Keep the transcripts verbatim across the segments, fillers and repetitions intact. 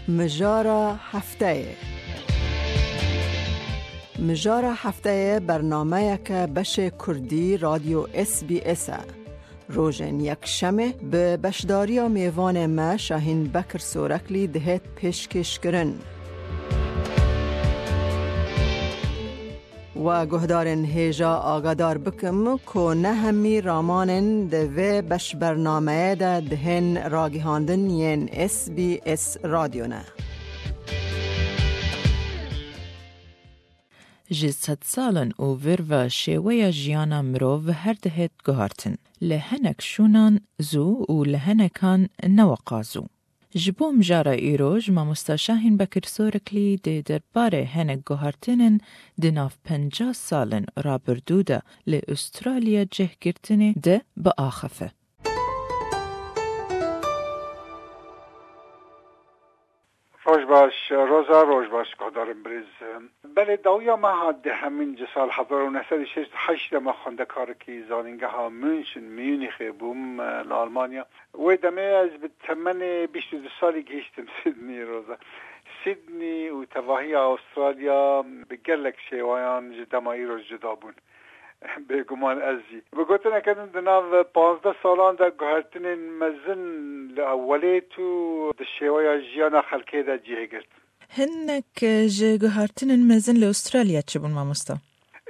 Mijara hefteyê. Mijara hefteyê bernameyeke beşê Kurdî Radyo S B S e. Rojên Yekşemê bi beşdariya mêvanê me Şahîn Bekir Soreklî dihêt pêşkêşkirin. We guhdarên hêja agadar bikim ku ne hemî ramanên di vê beşbernameyê de dihên ragihandin yên S B S Radyo ne. Ji sedsalan û vir ve şêweya jiyana mirov her dihêt guhartin. Li hinek şûnan zû û li hinekan ne weqa zû. Ji bo mijara îroj, mamosta Şahîn Bekir Soriklî dê derbarê hinek guhartinên di nav penca salên rabirdû de li Ûstralya cih girtinê de biaxife. Roj baş, Roza, roj baş, guhdarên birêz. Belê, dawiya me hat di hemîn ji sal hezar û neh sed û şêst û heşt de me xwendekarekî zanîngeha München, Munîxê bûm, li Almanya. Wê demê ez bi temenê bîst û du salî gihîştim Sydney, Roza. Sydney û tevahiya Astralya bi gelek şêwayan ji dema îro cuda bûn. Bêguman ez jî. Bi gotineke din, di nav panzdeh salan de guhertinên mezin li ewelêt û di şêweya jiyana xelkê de cihê girt. Hinek ji guhertinên mezin li Ûstralya çi bûn, mamosta?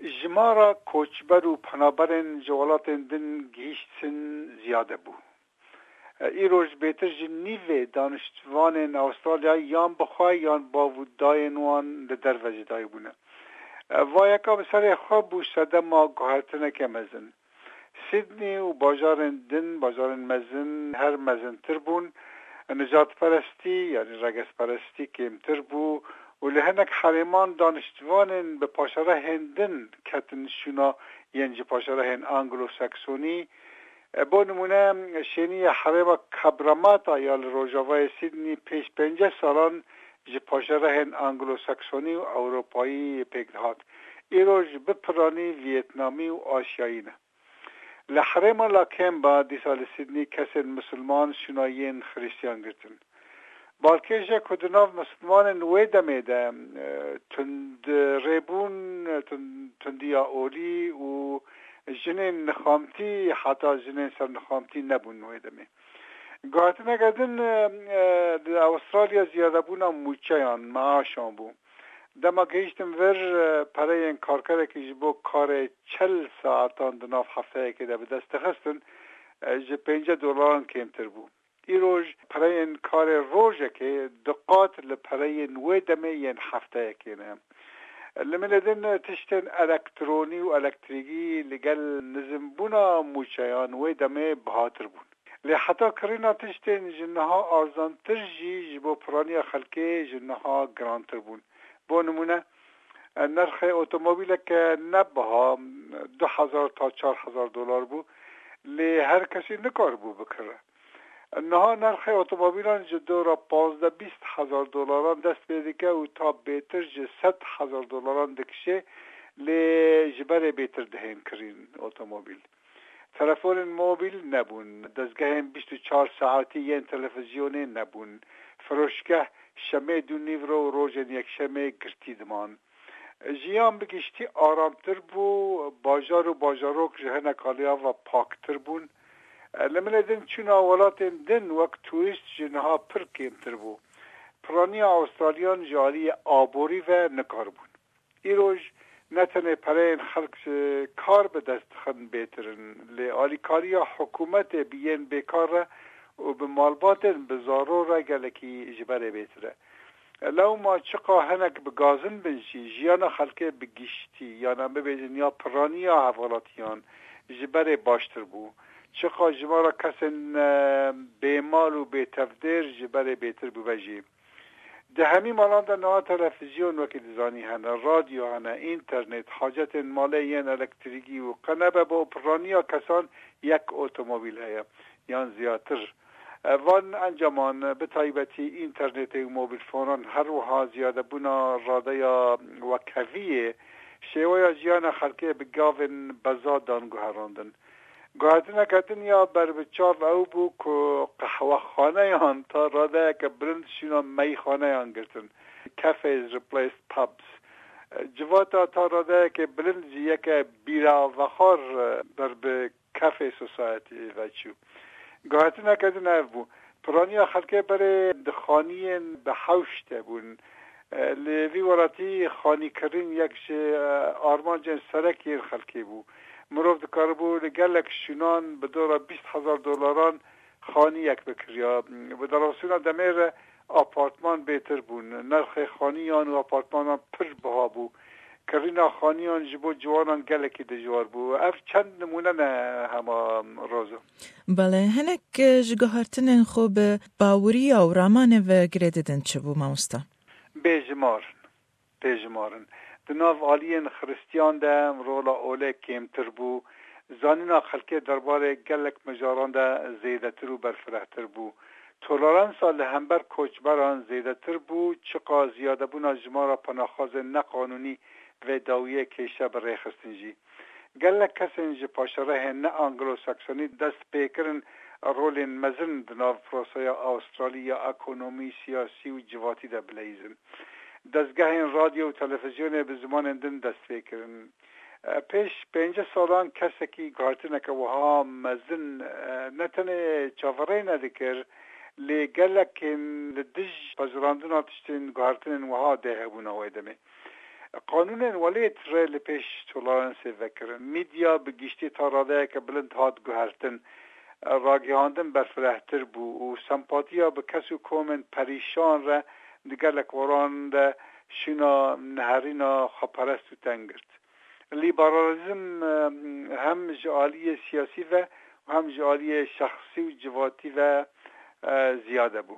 Jimara koçber û penaberên ji welatên din gihîştin ziyade bû. Îroj bêtir ji nîvê daniştvanên Astralya yan bi xwe yan bav û dayên wan li derve jidayî bûne. Va yeka bi serê xwe bû sedema guhertineke mezin. Sydney û bajarên din, bajarên mezin her mezintir bûn. Nijadperestî, yanî regezperestî kêmtir bû û li hinek herêman daniştvanên bi paşerehên din ketin şûna yên ji paşerehên Anglo-Saksonî. E, bo nimûne, şêniyê herêma Cabramatta ya li rojavayê Sydney pêş pênceh salan ji paşerehên Anglo-Saksonî û Ewropayî pêk dihat. Îroj bi piranî Vîetnamî û Asyayî ne. Li herêma Lakemba, dîsa li Sydney, kesên misilman şûna yên Xiristiyan girtin. Balkêş e ku di nav misilmanên wê demê de, e, tundrêbûn, e, tund-, tundiya olî û jinên nixamtî, heta jinên sernixamtî nebûn wê demê. Guhertineke din, e, e, di Astralya ziyadebûna mûçeyan, meaşan bû. Dema gihîştim vir, e, pereyên karkerekî ji bo karê çel saetan di nav hefteyekê de bi dest dixistin, e, ji pêncî dolaran kêmtir bû. Îroj pereyên karê rojekê du qat li pereyên wê demê yên hefteyekê ne. Li milê din tiştên elektronî û elektrîkî li gel nizimbûna mûçeyan wê demê bihatir bûn. Lê heta kirîna tiştên ji niha arzantir jî ji bo piraniya xelkê ji niha girantir bûn. Bo nimûne, nirxê otomobîleke ne biha du hezar ta çar hezar dolar bû, lê her kesî nikaribû bikire. Niha nirxê otomobîlan ji dora pazdeh bîst hezar dolaran dest pê dike û ta bêtir ji sed hezar dolaran dikişê, lê ji berê bêtir dihên kirîn otomobîl. Telefonên mobîl nebûn, dezgehên bîst û çar saetî yên televîzyonê nebûn. Firoşgeh şemê dû nîvro û rojên yekşemê girtî diman. Jiyan bi giştî aramtir bû, bajar û bajarok ji hinek aliya ve paktir bûn. Li milê din çûna welatên din wek turîst ji niha pir kêmtir bû. Piraniya Astraliyan ji aliyê aborî ve nikaribûn. Îroj ne tenê pereyên xelk ji kar bi dest dixin bêtir in, lê alîkariya hikûmetê bi yên bêkar re û bi malbatên bi zaro re gelekî ji berê bêtir e. Lewma çiqa hinek bi gazin bin jî, jiyana xelkê bi giştî, yan em bibêjin ya piraniya hevalatiyan ji berê baştir bû. Çiqa jimara kesên, e, bêmal û bêtevdêr ji berê bêtir bûbe jî. Di hemî malan de niha televîzyon wekî dizanî hene, radyo hene, înternet, hacetên malê yên elektrîkî û qe nebe bo piraniya kesan yek otomobîl heye yan ziyatir. Van encaman, bi taybetî înternetê û mobîlfonan, her wiha ziyadebûna radeya wekheviyê Şêweya jiyana xelkê bi gavên bezadan guherandin. Guhertineke din ya ber bi çav ew bû ku qehwexaneyan ta radeyeke bilind şûna meyxaneyan girtin. Cafes replaced pubs. Civata ta radeyeke bilind jî yeke bîra vexwar ber bi café society ve çû. Guhertineke din ev bû. Piraniya xelkê berê di xaniyên bi hewş de bûn. Li vî welatî xanîkirin yek ji armancên serek yên xelkê bû. Mirov dikaribû li gelek şûnan bi dora bîst hezar dolaran xaniyek bikiriya. Bi derbasbûna demê re apartman bêtir bûn. Nirxê xaniyan û apartmanan pir biha bû. Kirîna xaniyan ji bo ciwanan gelekî dijwar bû. Ev çend nimûne ne hema, Roza? Belê, hinek, e, ji guhertinên xwe bi baweriya û ramanê ve girê didin çi bû, mamosta? Bêjimar in. Bêjimar in. Di nav aliyên Xiristiyan de rola olê kêmtir bû. Zanîna xelkê derbarê gelek mijaran de zêdetir û berfirehtir bû. Toleransa li hember koçberan zêdetir bû, çiqa ziyadebûna jimara penaxwazên neqanûnî vê dawiyê kêşe bi rêxistin jî. Gelek kesên ji paşerehên ne Anglo-Saksonî dest pê kirin rolên mezin di nav prosaya Awstralî ya ekonomî, siyasî û civatî de bileyzin. Dezgehên radyo û televîzyonê bi zimanên din dest pê kirin. Pêş pêncî salan kesekî guhertineke wiha mezin, e, ne tenê çaverê nedikir, lê gelekên li dij pejirandina tiştên guhertinên wiha dê hebûna wê demê. Qanûnên welêt rê li pêş toleransê vekirin. Medya bi giştî ta radeyeke bilind hat guhertin. Ragihandin berfirehtir bû û sempatiya bi kes û komên perîşan re di gelek weran de şûna neherîna xweperest û teng girt. Lîberalîzm, e, hem ji aliyê siyasî ve û hem ji aliyê şexsî û civatî ve, e, ziyade bû.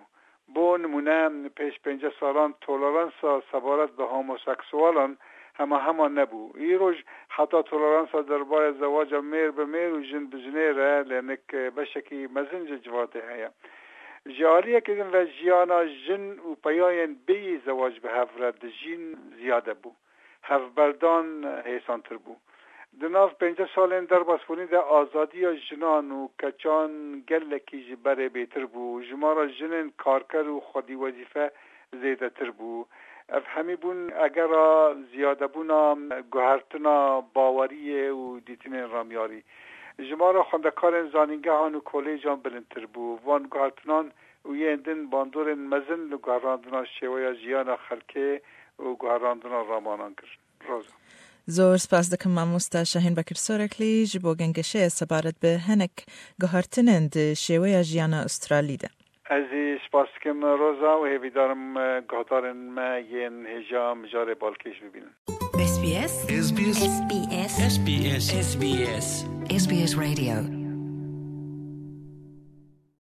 Bo nimûne, pêş pêncî salan toleransa sebaret bi homoseksualan hema hema nebû. Îroj heta toleransa derbarê zewaca mêr bi mêr û jin bi jinê re lê nik beşekî mezin ji civatê heye. Ji aliyekî din ve jiyana jin û peyayên bêyî zewac bi hev re dijîn ziyade bû. Hevberdan hêsantir bû. Di nav pêncî salên derbasbûnî de azadiya jinan û keçan gelekî ji berê bêtir bû. Jimara jinên karker û xwedî wezîfe zêdetir bû. Ev hemî bûn egera ziyadebûna guhertina baweriyê û dîtinên ramyarî. Jimara xwendekarên zanîngehan û kolêcan bilindtir bû. Van guhertinan û yên din bandorên mezin li guherandina şêweya jiyana xelkê û guherandina ramanan kirin. Roza. Zor spas dikim mamosta Şahîn Bekir Soreklî ji bo gengeşeya sebaret bi hinek guhertinên di şêweya jiyana Australî de. Ez jî spas dikim Roza û hêvîdarim, e, guhdarên me yên hêja mijarê balkêş bibînin. S B S. S B S. S B S. S B S. S B S. S B S Radio.